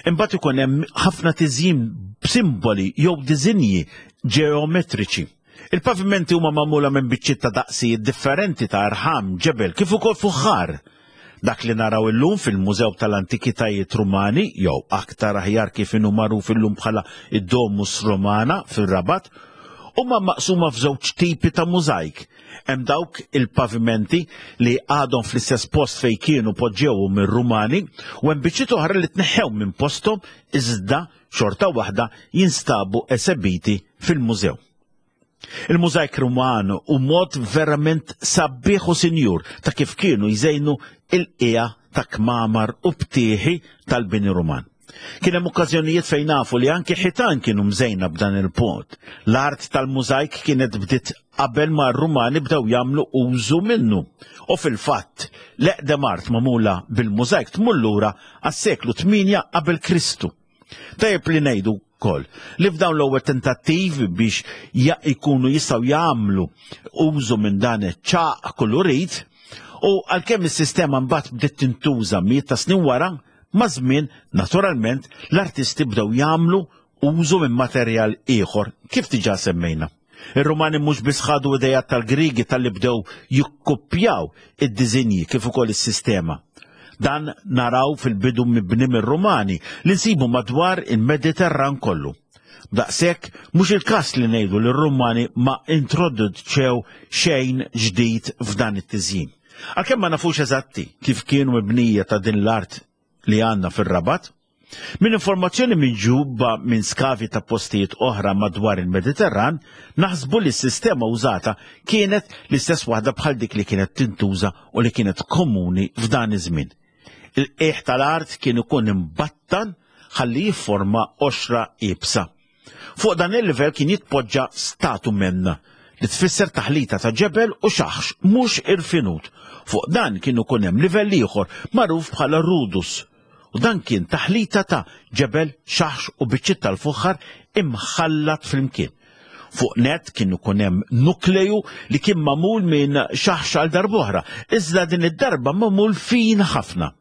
Imbagħad ikun hemm ħafna tiżjin b'simboli jew diżinji ġeometriċi. Il-pavimenti huma magħmula minn biċċiet ta' daqsijiet differenti ta' rħam, ġebel, kif ukoll fuħħar. Dak li naraw illum fil-Mużew tal-Antikitajiet Rumani, jew aktar aħjar kif inhu magħruf illum bħala id-Domus Romana fir-Rabat, huma maqsuma f'żewġ tipi ta' mużajk. Hemm dawk il-pavimenti li għadhom fl-istess post fejn kienu poġġewhom ir-Rumani u hemm biċċiet oħra li tneħħew minn posthom iżda xorta waħda jinstabu esebiti fil-mużew. Il-mużajk Ruman hu mod verament sabiħ u sinjur ta' kif kienu jżejnu il-qiegħa ta' kmamar u btieħi tal-bini Ruman. Kien hemm okkażjonijiet fejn nafu li anki ħitan kienu mżejna b'dan il-punt. L-art tal-mużajk kienet bdiet qabel ma r-Rumani bdew jagħmlu użu minnu. U fil-fatt, l-eqdem art magħmula bil-mużajk tmur lura għas-seklu 8 qabel Kristu. Tajjeb li ngħidu wkoll li f'dawn l-ewwel tentattivi biex jkunu jistgħu jagħmlu użu minn dan iċ-ċaq kulurit u għalkemm is-sistema mbagħad bdiet tintuża mijiet ta' snin wara, maż-żmien naturalment l-artisti bdew jagħmlu użu minn materjal ieħor kif diġà semmejna. Ir-Rumani mhux biss ħadu ideat tal-Griegi talli bdew jikkuppjaw id-diżinji kif ukoll is-sistema. Dan naraw fil-bidu mibni mir-Rumani li nsibu madwar il-Mediterran kollu. B'daqshekk mhux il-każ li ngħidu li r-Rumani ma introduċew xejn ġdid f'dan it-tiżjin. Għalkemm ma nafux eżatti kif kienu mibnija ta' din l-art li għandna fir-Rabat, Minn informazzjoni miġjuba minn skavi ta' postijiet oħra madwar il-Mediterran, naħsbu li s-sistema użata kienet l-istess waħda bħal dik li kienet tintuża u li kienet komuni f'dan iż-żmien. Il-qiegħ tal-art kien ikun imbattan ħalli jifforma qoxra iebsa. Fuq dan il-livell kien jitpoġġa statumen, li tfisser taħlita ta' ġebel u xaħx mhux irfinut. Fuq dan kien ikun hemm livell ieħor magħruf bħala rudus, u dan kien taħlita ta' ġebel, xaħx u biċċiet tal-fuħħar imħallat flimkien. Fuq net kien ikun hemm nukleju li kien magħmul minn xaħx għal darb'oħra, iżda din id-darba magħmul fin ħafna.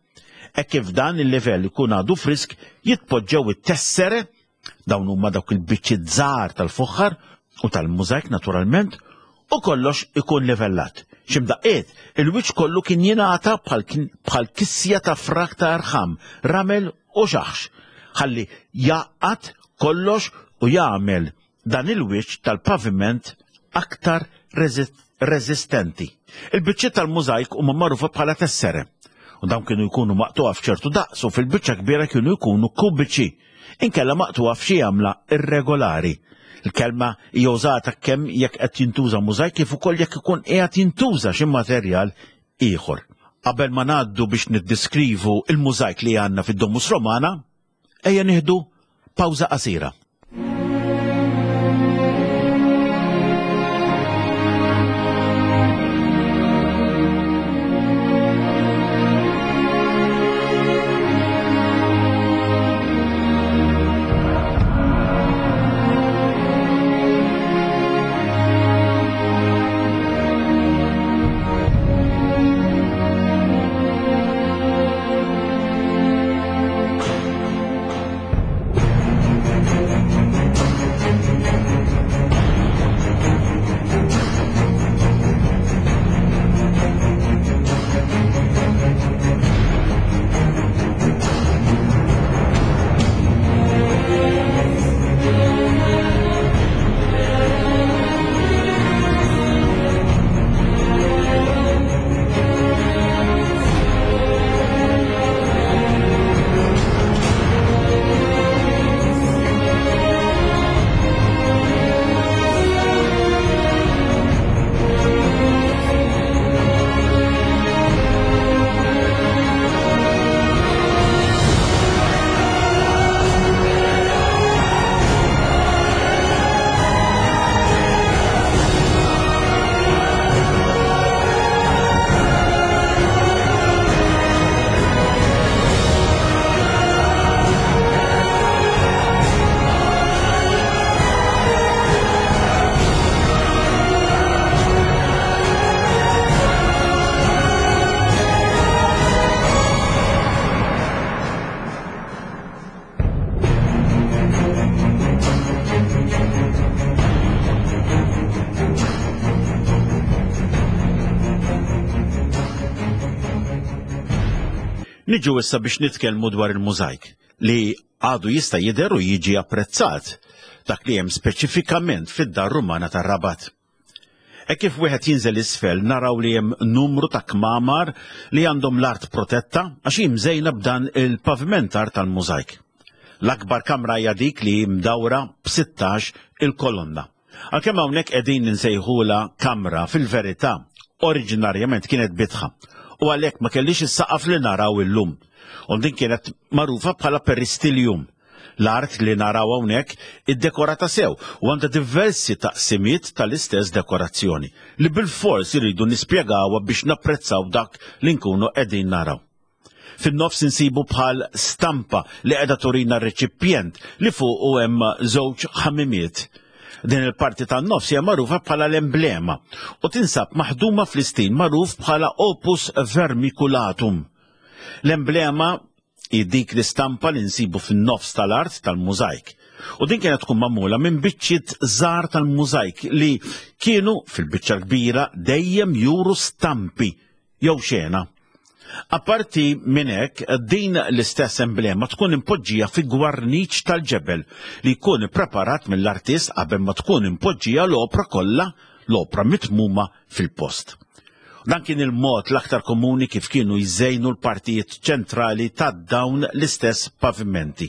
Hekk kif dan il-livell ikun għadu frisk, jitpoġġew it-tessere, dawn huma dawk il-biċċiet żgħar tal-fuħħar u tal-mużajk naturalment, u kollox ikun livellat. X'imdaqqiet, il-wiċċ kollu kien jingħata bħal kisja ta' frak ta' rħam, ramel u xaħx, ħalli jgħaqqad kollox u jagħmel dan il-wiċċ tal-paviment aktar reżistenti. Il-biċċiet tal-mużajk huma magħrufa bħala tessere u dawn kienu jkunu maqtugħa f'ċertu daqs u fil-biċċa kbira kienu jkunu kubiċi, inkella maqtugħa f'xi għamla irregolari. Il-kelma hija użata kemm jekk qed jintuża mużajk kif ukoll jekk ikun qiegħed jintuża xi materjal ieħor. Qabel ma ngħaddu biex niddiskrivu il-mużajk li għandna fid-Domus Romana, ejja nieħdu pawża qasira. Niġu issa biex nitkellmu dwar il-mużajk li għadu jista' jidher u jiġi apprezzat dak li hemm speċifikament fid-dar Rumana tar-Rabat. Hekk kif wieħed jinżel isfel naraw li hemm numru ta' kmamar li għandhom l-art protetta għax hi mżejna b'dan il-pavimentar tal-mużajk. L-akbar kamra hija dik li hi mdawra b'sittax il-kolonna. Għalkemm hawnhekk qegħdin insejħulha kamra fil-verità oriġinarjament kienet bitħa u għalhekk ma kellix is-saqaf li naraw illum. U din kienet magħrufa bħala peristilium. L-art li naraw hawnhekk iddekorata sew u għandha diversi taqsimiet tal-istess dekorazzjoni li bilfors irridu nispjegawha biex napprezzaw dak li nkunu qegħdin naraw. Fin-nofs insibu bħal stampa li qiegħda turina reċipjent li fuqu hemm żewġ ħamimiet. Din il-parti tan-nofs hija magħrufa bħala l-emblema u tinsab maħduma fl-istil magħruf bħala opus vermiculatum. L-emblema Hi dik l-istampa li nsibu fin-nofs tal-art tal-mużajk. U din kienet tkun magħmula minn biċċiet żgħar tal-mużajk li kienu fil-biċċa l-kbira dejjem juru stampi jew xena. Apparti minn hekk, din l-istess emblema tkun impoġġija fi gwarniċ tal-ġebel li jkun ippreparat mill-artist qabel ma tkun impoġġija l-opra kollha, l-opra mitmuma fil-post. Dan kien il-mod l-aktar komuni kif kienu jżejnu l-partijiet ċentrali ta' dawn l-istess pavimenti.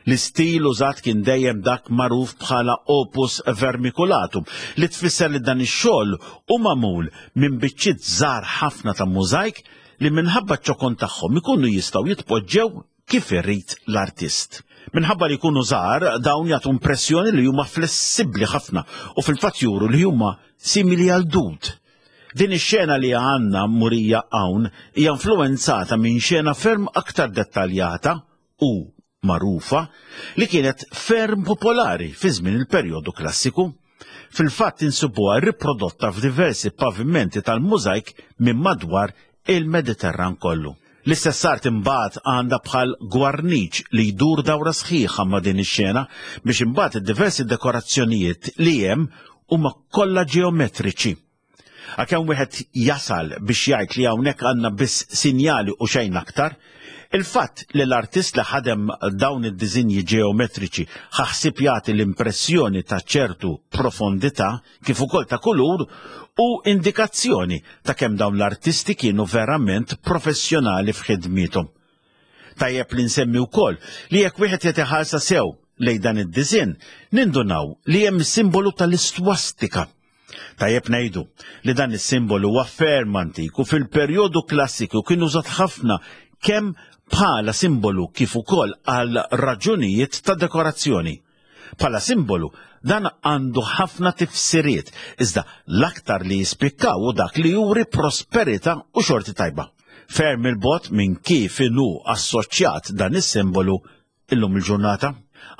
L-istil użat kien dejjem dak magħruf bħala opus vermiculatum, li tfisser li dan ix-xogħol hu magħmul minn biċċiet żgħar ħafna ta' mużajk li minħabba ċ-ċokon tagħhom ikunu jistgħu jitpoġġew kif irid l-artist. Minħabba li jkunu żgħar, dawn jagħtu impressjoni li huma flessibbli ħafna u fil-fatt juru li huma simili għal dud. Din ix-xena li għandna murija hawn hija influwenzata minn xena ferm aktar dettaljata u magħrufa li kienet ferm popolari fi żmien il-perjodu klassiku. Fil-fatt insibuha riprodotta f'diversi pavimenti tal-mużajk minn madwar il-Mediterran kollu. L-istess art imbagħad għandha bħal gwarniċ li jdur dawra sħiħa ma' din ix-xena biex imbagħad id-diversi dekorazzjonijiet li hemm huma kollha ġeometriċi. Għalkemm wieħed jasal biex jgħid li hawnhekk għandna biss sinjali u xejn aktar, il-fatt li l-artist li ħadem dawn id-diżinji ġeometriċi ħa ħsieb jagħti l-impressjoni ta' ċertu profondità kif ukoll ta' kulur hu indikazzjoni ta' kemm dawn l-artisti kienu verament professjonali f'ħidmiethom. Tajjeb li nsemmi wkoll li jekk wieħed jagħti ħarsa sew lejn dan id-diżinn, nindunaw li hemm is-simbolu tal-istwastika. Tajjeb ngħidu li dan is-simbolu huwa ferm antik u fil-perjodu klassiku kien użat ħafna kemm bħala simbolu kif ukoll għal raġunijiet ta' dekorazzjoni. Bħala simbolu, dan għandu ħafna tifsiriet, iżda l-aktar li jispikkaw hu dak li juri prosperità u xorti tajba. Ferm il-bogħod minn kif inhu assoċjat dan is-simbolu illum il-ġurnata.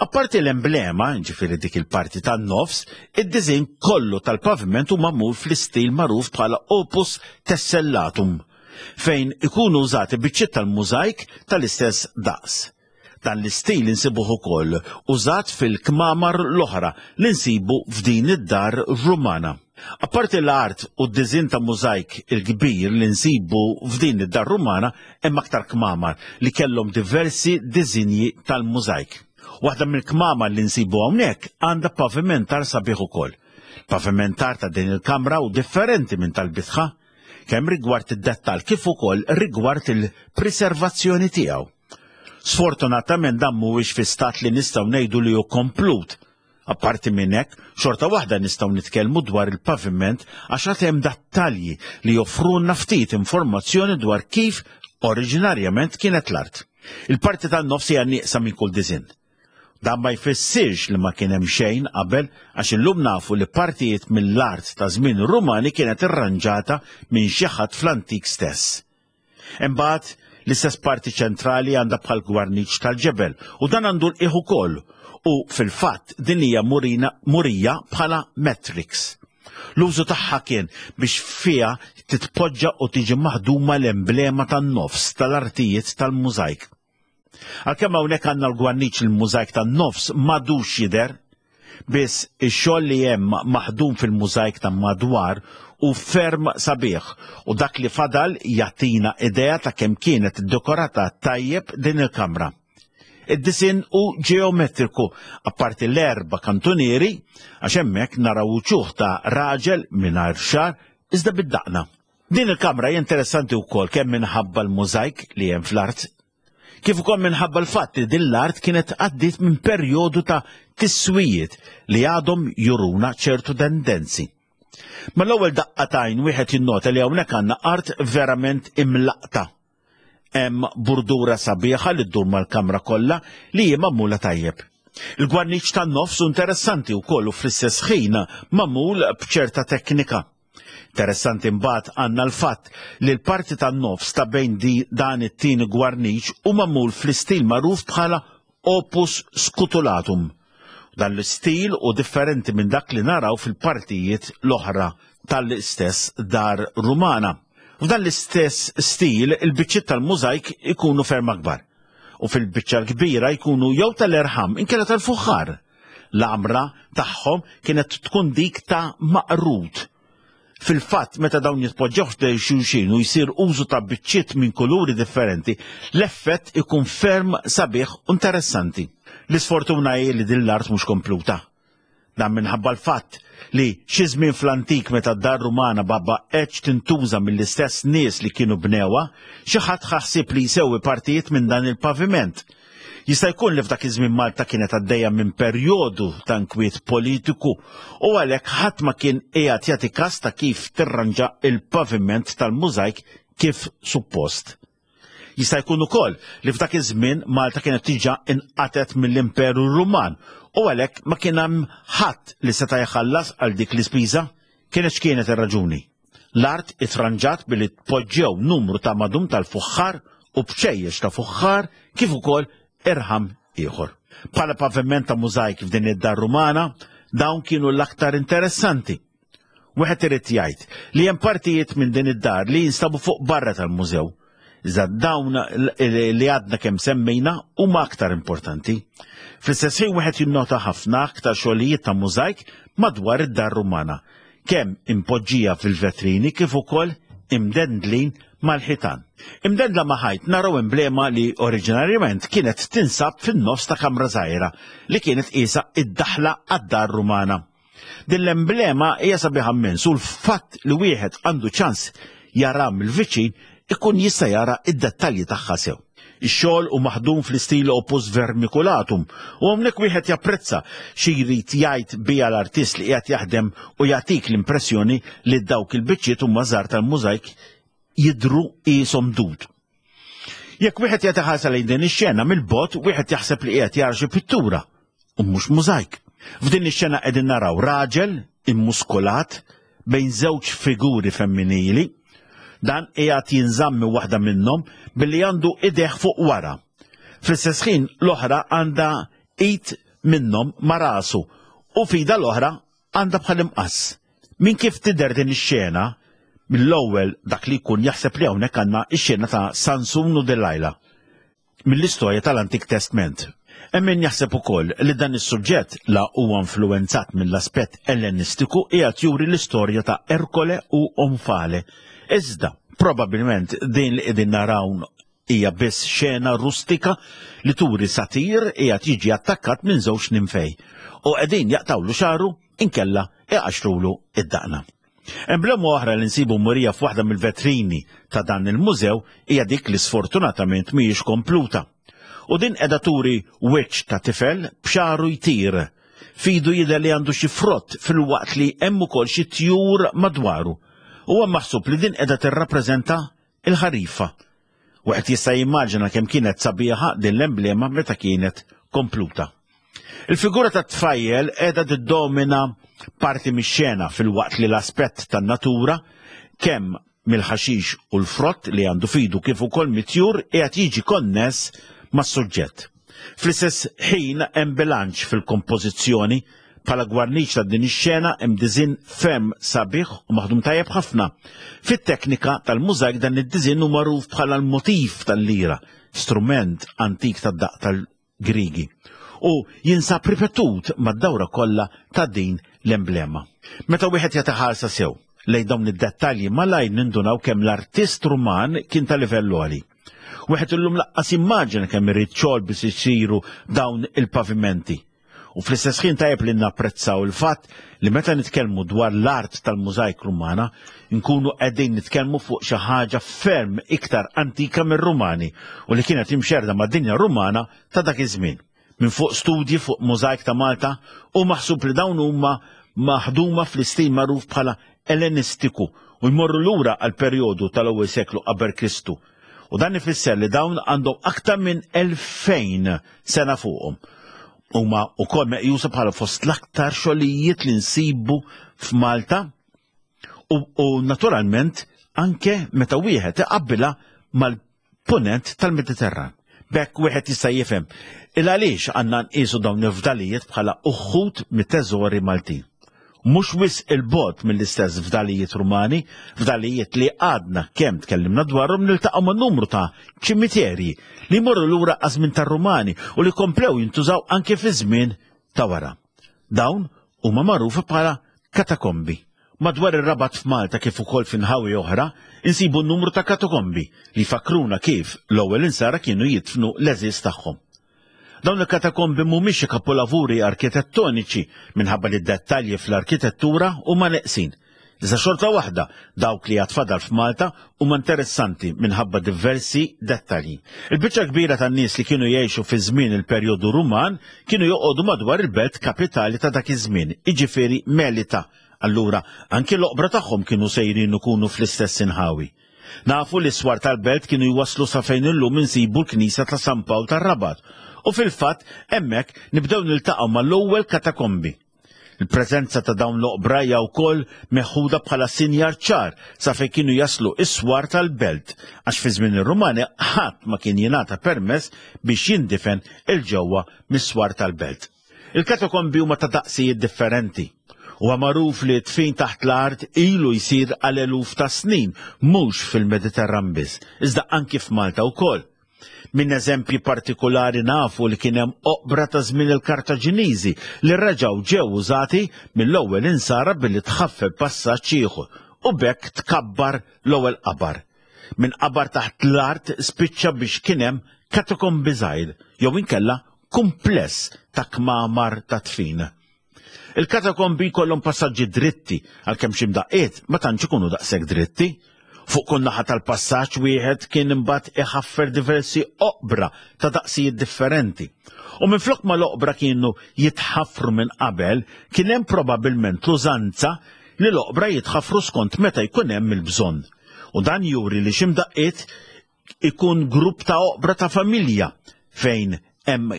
Apparti l-emblema, ġifieri dik il-parti tan-nofs, id-diżinn kollu tal-paviment hu magħmul fl-istil magħruf bħala opus tessellatum, fejn ikunu użati biċċiet tal-mużajk tal-istess daqs. Dan l-istil insibuh ukoll użat fil-kmamar l-oħra li nsibu f'din id-dar Rumana. Apparti l-art u d-diżinn ta' mużajk il-kbir li nsibu f'din id-dar Rumana hemm aktar kmamar li kellhom diversi diżinji tal-mużajk. Waħda mill-kmamar li nsibu hawnhekk għandha pavimentar sabiħ ukoll. Pavimentar ta' din il-kamra hu differenti minn tal-bitħa, kemm rigward id-dettall kif ukoll rigward il-priservazzjoni tiegħu. Sfortunatament dan mhuwiex fi stat li nistgħu ngħidu li hu komplut. Apparti minn hekk, xorta waħda nistgħu nitkellmu dwar il-paviment għax għad hemm dattalji li joffrulna ftit informazzjoni dwar kif oriġinarjament kienet l-art. Il-parti tan-nofs hija nieqsa minn kull diżinn. Dan ma jfissirx li ma kien hemm xejn qabel għax illum nafu li partijiet mill-art ta' żmien ir-Rumani kienet irranġata minn xi ħadd fl-antik stess. Imbagħad, l-istess parti ċentrali għandha bħal gwarniċ tal-ġebel u dan għandu l-qiegħ ukoll u fil-fatt din hija murina murija bħala matrix. L-użu tagħha kien biex fiha titpoġġa u tiġi maħduma l-emblema tan-nofs tal-artijiet tal-mużajk. Għalkemm hawnhekk għandna l-gwarniċ il-mużajk tan-nofs m'għadux jidher, biss ix-xogħol li hemm maħdum fil-mużajk ta' madwar hu ferm sabiħ u dak li fadal jagħtina idea ta' kemm kienet iddekorata tajjeb din il-kamra. Id-disinn hu ġeometriku, apparti l-erba' kantunieri, għax hemmhekk naraw uċuħ ta' raġel mingħajr xagħar iżda bid-daqna. Din il-kamra hija interessanti wkoll kemm minħabba l-mużajk li hemm fl-art, kif ukoll minħabba l-fatt li din l-art kienet għaddiet minn perjodu ta' tiswijiet li għadhom juruna ċertu tendenzi. Mal-ewwel daqqa t'għajn wieħed jinnota li hawnhekk għandna art verament imlaqta. Hemm burdura sabiħa li ddur mal-kamra kollha li hi magħmula tajjeb. Il-gwarniċ tan-nofs hu interessanti wkoll u fl-istess ħin magħmul b'ċerta teknika. Interessanti mbagħad għandna l-fatt li l-parti tan-nofs ta' bejn di dan it-tieni gwarniċ hu magħmul fl-istil magħruf bħala opus scutulatum. Dan l-istil hu differenti minn dak li naraw fil-partijiet l-oħra tal-istess dar Rumana. F'dan l-istess stil il-biċċiet tal-mużajk ikunu ferm akbar u fil-biċċa l-kbira jkunu jew tal-erħam inkella tal-fuħħar. L-għamra tagħhom kienet tkun dik ta' maqrud. Fil-fatt, meta dawn jitpoġġew ħdejn xulxin u jsir użu ta' biċċiet minn kuluri differenti, l-effett ikun ferm sabiħ u interessanti. L-isfortuna hi li din l-art mhux kompluta. Dan minħabba l-fatt li xi żmien fl-antik meta d-dar Rumana ma baqgħetx tintuża mill-istess nies li kienu bnewha, xi ħadd ħa ħsieb li jsewwi partijiet minn dan il-paviment. Jista' jkun li f'dak iż-żmien Malta kienet għaddejja minn perjodu ta' inkwiet politiku u għalhekk ħadd ma kien qiegħed jagħti kas ta' kif tirranġa l-paviment tal-mużajk kif suppost. Jista' jkun ukoll li f'dak iż-żmien Malta kienet diġà inqatgħet mill-Imperu Ruman u għalhekk ma kien hemm ħadd li seta' jħallas għal dik l-ispiża. Kienet x'kienet ir-raġuni. L-art itranġat billi tpoġġew numru ta' madum tal-fuħħar u bċejjeċ ta' fuħħar kif ukoll irħam ieħor. Bħala paviment ta' mużajk f'din id-dar Rumana, Dawn kienu l-aktar interessanti. Wieħed irid jgħid li hemm partijiet minn din id-dar li jinstabu fuq barra tal-mużew. Iżda dawn li għadna kemm semmejna huma aktar importanti. Fl-istess ħin wieħed jinnota ħafna aktar xogħlijiet ta' mużajk madwar id-dar Rumana, kemm impoġġija fil-vetrini kif ukoll imdendlin mal-ħitan. Imdendla ma' ħajt naraw emblema li oriġinarjament kienet tinsab fin-nofs ta' kamra żgħira li kienet qiesha id-daħla għad-dar Rumana. Din l-emblema hija sabiħa mmens u l-fatt li wieħed għandu ċans jara mill-viċin ikun jista' jara id-dettalji tagħha sew. Ix-xogħol hu maħdum fl-istil opus vermiculatum u hawnhekk wieħed japprezza xi jrid jgħid biha l-artist li qiegħed jaħdem u jagħtik l-impressjoni li dawk il-biċċiet huma żgħar tal-mużajk jidhru qishom dud. Jekk wieħed jagħti ħarsa lejn din ix-xena mill-bogħod wieħed jaħseb li qiegħed jara xi pittura u mhux mużajk. F'din ix-xena qegħdin naraw raġel immuskulat bejn żewġ figuri femminili. Dan qiegħed jinżamm minn waħda minnhom billi għandu idejh fuq wara. Fl-istess ħin l-oħra għandha id minnhom ma' rasu u f'idha l-oħra għandha bħal imqass. Minn kif tidher din ix-xena, mill-ewwel dak li jkun jaħseb li hawnhekk għandna x-xena ta' Sansun u Delilah mill-istorja tal-Antik Testment. Hemm min jaħseb ukoll li dan is-suġġett la huwa influwenzat mill-aspett Ellenistiku qiegħed juri l-istorja ta' Erkole u Omfale. Iżda, probabbilment din li qegħdin naraw hija biss xena rustika li turi satir qiegħed jiġi attakkat minn żewġ ninfej u qegħdin jaqtawlu xagħru inkella iqaxxrulu id-daqna. Emblema oħra li nsibu murija f'waħda mill-vetrini ta' dan il-mużew hija dik li sfortunatament mhijiex kompluta. U din qiegħda turi wiċċ ta' tifel b'xagħru jtir. F'idu jidher li għandu xi frott filwaqt li hemm ukoll xi tjur madwaru. Huwa maħsub li din qiegħda tirrappreżenta il-ħarifa. Wieħed jista' jimmaġina kemm kienet sabiħa din l-emblema meta kienet kompluta. Il-figura tat-tfajjel qiegħda tiddomina parti mix-xena filwaqt li l-aspett tan-natura, kemm mill-ħaxix u l-frott li għandu f'idu kif ukoll mit-tjur qiegħed jiġi konness mas-suġġett. Fl-istess ħin hemm bilanċ fil-kompożizzjoni. Bħala gwarniċ ta' din ix-xena hemm diżinn ferm sabiħ u maħdum tajjeb ħafna. Fit-teknika tal-mużajk dan id-diżinn hu magħruf bħala l-motif tal-lira, strument antik tad-daqq tal-Griegi, u jinsab ripetut mad-dawra kollha ta' din l-emblema. Meta wieħed jagħti ħarsa sew lejn dawn id-dettalji malajr nindunaw kemm l-artist Ruman kien ta' livell għoli. Wieħed illum laqqas jimmaġina kemm irid xogħol biex isiru dawn il-pavimenti. U fl-istess ħin tajjeb li napprezzaw il-fatt li meta nitkellmu dwar l-art tal-mużajk Rumana, nkunu qegħdin nitkellmu fuq xi ħaġa ferm iktar antika mir-Rumani u li kienet imxerrda mad-dinja Rumana ta' dak iż-żmien. Minn fuq studji fuq mużajk ta' Malta hu maħsub li dawn huma maħduma fl-istil magħruf bħala Ellenistiku u jmorru lura għall-perjodu tal-ewwel seklu qabel Kristu. U dan ifisser li dawn għandhom aktar minn 2000 sena fuqhom. Huma wkoll meqjusa bħala fost l-aktar xogħlijiet li nsibu f'Malta u, u naturalment anke meta wieħed iqabbilha mal Punent tal-Mediterran. B'hekk wieħed jista' jifhem il għaliex għandna nqisu dawn il-fdalijiet bħala uħud mit-teżori Maltin. Mhux wisq 'il bogħod mill-istess fdalijiet Rumani, fdalijiet li għadna kemm tkellimna dwarhom niltaqgħu ma' numru ta' ċimiterji li jmorru lura għaż-żmien tar-Rumani u li komplew jintużaw anke fiż-żmien ta' wara. Dawn huma magħrufa bħala katakombi. Madwar ir-Rabat f'Malta kif ukoll fi nħawi oħra, insibu numru ta' katakombi li jfakkruna kif l-ewwel insara kienu jidfnu l-għeżież tagħhom. Dawn il-katakombi mhumiex xi kapolavuri arkitettoniċi minħabba li d-dettalji fl-arkitettura huma neqsin. Iżda xorta waħda, dawk li għad fadal f'Malta huma interessanti minħabba diversi dettalji. Il-biċċa kbira tan-nies li kienu jgħixu fi żmien il-perjodu Ruman kienu joqogħdu madwar il-belt kapitali ta' dak iż-żmien, jiġifieri Melita. Allura, anki l-oqbra tagħhom kienu sejrin ikunu fl-istess inħawi. Nafu li s-swar tal-belt kienu jwasslu sa fejn illum insibu l-knisja ta' San Pawl tar-Rabat u fil-fatt hemmhekk nibdew niltaqgħu mal-ewwel katakombi. Il-preżenza ta' dawn l-oqbra hija wkoll meħuda bħala sinjal ċar sa fejn kienu jaslu s-swar tal-belt, għax fi żmien ir-Rumani ħadd ma kien jingħata permess biex jindifen 'il ġewwa mis-swar tal-belt. Il-katakombi huma ta' daqsijiet differenti. Huwa magħruf li d-dfin taħt l-art ilu jsir għal eluf ta' snin, mhux fil-Mediterran biss, iżda anki f'Malta wkoll. Minn eżempji partikulari nafu li kien hemm oqbra ta' żmien il-Kartaġiniżi li reġgħu ġew użati mill-ewwel insara billi tħaffer passaġġ ieħor u b'hekk tkabbar l-ewwel qabar. Minn qabar taħt l-art spiċċa biex kien hemm katakombi żgħir jew inkella kumpless ta' kmamar ta' dfin. Il-katakombi jkollhom passaġġi dritti, għalkemm xi mdaqqiet ma tantx ikunu daqshekk dritti. Fuq kull naħa tal-passaġġ wieħed kien imbagħad iħaffer diversi oqbra ta' daqsijiet differenti. U minflok ma l-oqbra kienu jitħaffru minn qabel, kien hemm probabbilment l-użanza li l-oqbra jitħaffru skont meta jkun hemm il-bżonn. U dan juri li xi mdaqqiet ikun grupp ta' oqbra ta' familja fejn hemm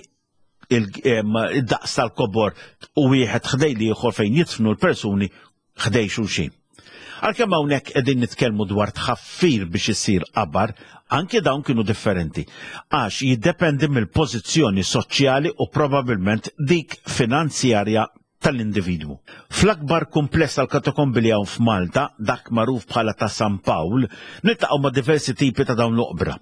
id-daqs tal-kobor u wieħed ħdej l-ieħor fejn jidfnu l-persuni ħdej xulxin. Għalkemm hawnhekk qegħdin nitkellmu dwar tħaffir biex isir qabar, anke dawn kienu differenti, għax jiddependi mill-pożizzjoni soċjali u probabbilment dik finanzjarja tal-individwu. Fl-akbar kumpless tal-katakombi li hawn f'Malta, dak magħruf bħala ta' San Pawl, niltaqgħu ma' diversi tipi ta' dawn l-oqbra.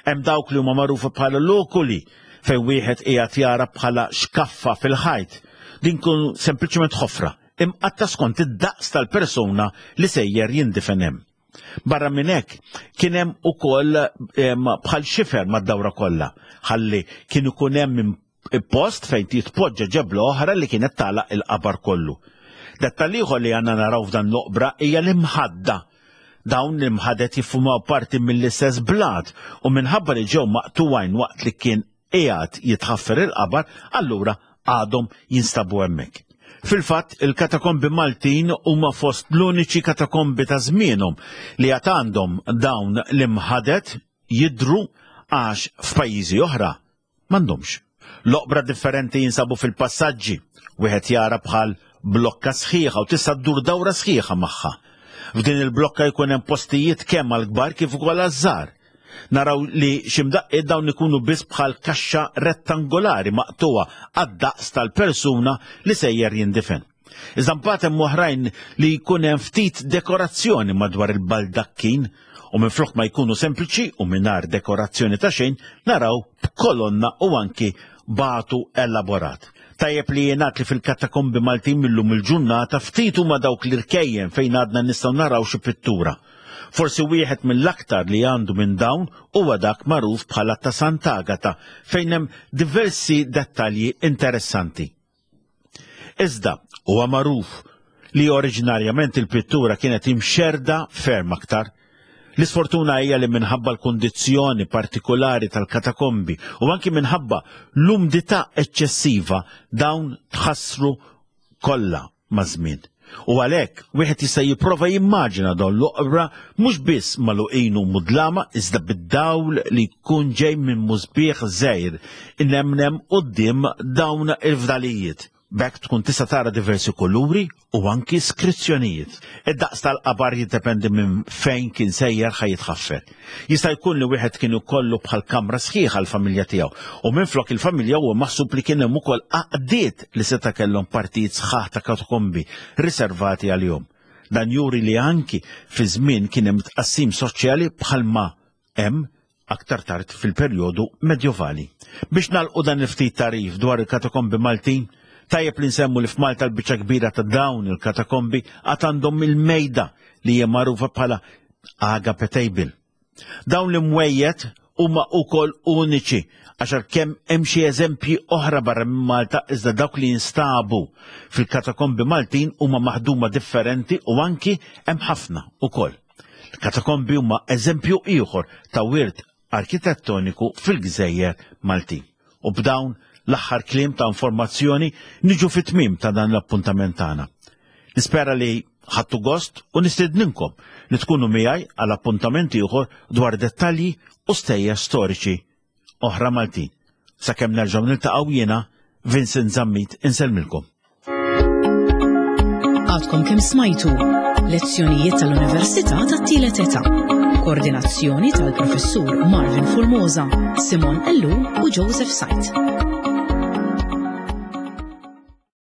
Hemm dawk li huma magħrufa bħala lokuli fejn wieħed qiegħed jara bħala xkaffa fil-ħajt. Din kun sempliċement ħofra, imqatta skont id-daqs tal-persuna li sejjer jindifen hemm. Barra minn hekk kien hemm ukoll bħal xifer mad-dawra kollha, ħalli kien ikun hemm post fejn titpoġġa ġebla oħra li kienet tagħlaq il-qabar kollu. Dettall ieħor li għandna naraw f'dan l-oqbra hija l-imħadda. Dawn l-imħadet jiffumaw parti mill-istess blat u minħabba li ġew maqtugħin waqt li kien qiegħed jitħaffer il-qabar, allura għadhom jinstabu hemmhekk. Fil-fatt, il-katakombi Maltin huma fost l-uniċi katakombi ta' żmienhom li għad għandhom dawn l-imħadet jidhru għax f'pajjiżi oħra M'għandhomx. L-oqbra differenti jinsabu fil-passaġġi, wieħed jara bħal blokka sħiħa u tista' ddur dawra sħiħa magħha. F'din il-blokka jkun hemm postijiet kemm għall-kbar kif ukoll għaż-żgħar. Naraw li xi mdaqqiet dawn ikunu biss bħal kaxxa rettangolari maqtugħa għad-daqs tal-persuna li sejjer jindifen. Iżda mbagħad hemm oħrajn li jkun hemm ftit dekorazzjoni madwar il-baldakkin u minflok ma jkunu sempliċi u mingħajr dekorazzjoni ta' xejn naraw b'kolonna u anki batu elaborat. Tajjeb li jingħad li fil-katakombi Maltin millum il-ġurnata ftit huma dawk l-irkejjen fejn għadna nistgħu naraw xi pittura. Forsi wieħed mill-aktar li għandu minn dawn huwa dak magħruf bħala ta' Sant'Agata fejn hemm diversi dettalji interessanti. Iżda, huwa magħruf li oriġinarjament il-pittura kienet imxerrda ferm aktar. L-isfortuna hija li minħabba l-kundizzjoni partikulari tal-katakombi u anki minħabba l-umdità eċċessiva dawn tħassru kollha maż-żmien. U għalhekk wieħed jista' jipprova jimmaġina dawn l-oqbra mhux biss magħluqin u mudlama iżda bid-dawl li jkun ġej minn musbieħ żgħir inemnem quddiem dawn il-fdalijiet. B'hekk tkun tista' tara diversi kuluri u anki skrizzjonijiet. Id-daqs tal-qabar jiddependi minn fejn kien sejjer ħa jitħaffer. Jista' jkun li wieħed kien ikollu bħal kamra sħiħa għall-familja tiegħu u minflok il-familja huwa maħsub li kien hemm ukoll għaqdiet li seta' kellhom partijiet sħaħ ta' katakombi riservati għalihom. Dan juri li anki fi żmien kien hemm tqassim soċjali bħalma hemm aktar tard fil-perjodu medjovali. Biex nagħlqu dan il-ftit tagħrif dwar il-katakombi Maltin, tajjeb li nsemmu li f'Malta l-biċċa kbira ta' dawn il-katakombi għad għandhom il-mejda li hija magħrufa bħala Agape Table. Dawn l-imwejjed huma wkoll uniċi għax għalkemm hemm xi eżempji oħra barra minn Malta iżda dawk li jinstabu fil-katakombi Maltin huma maħduma differenti u anki hemm ħafna ukoll. Il-katakombi huma eżempju ieħor ta' wirt arkitettoniku fil-gżejjer Maltin. U b'dawn l-aħħar kliem ta' informazzjoni niġu fit-tmiem ta' dan l-appuntament tagħna. Nispera li ħadtu gost u nistedninkom li tkunu miegħi għal appuntament ieħor dwar dettalji u stejjer storiċi oħra Maltin. Sakemm nerġgħu niltaqgħu jiena Vincent Zammit insellmilkom. Għadkom kemm smajtu lezzjonijiet tal-Università tat-Tielet Età. Koordinazzjoni tal-Professur Marvin Formosa, Simon Ellul u Joseph Sajt.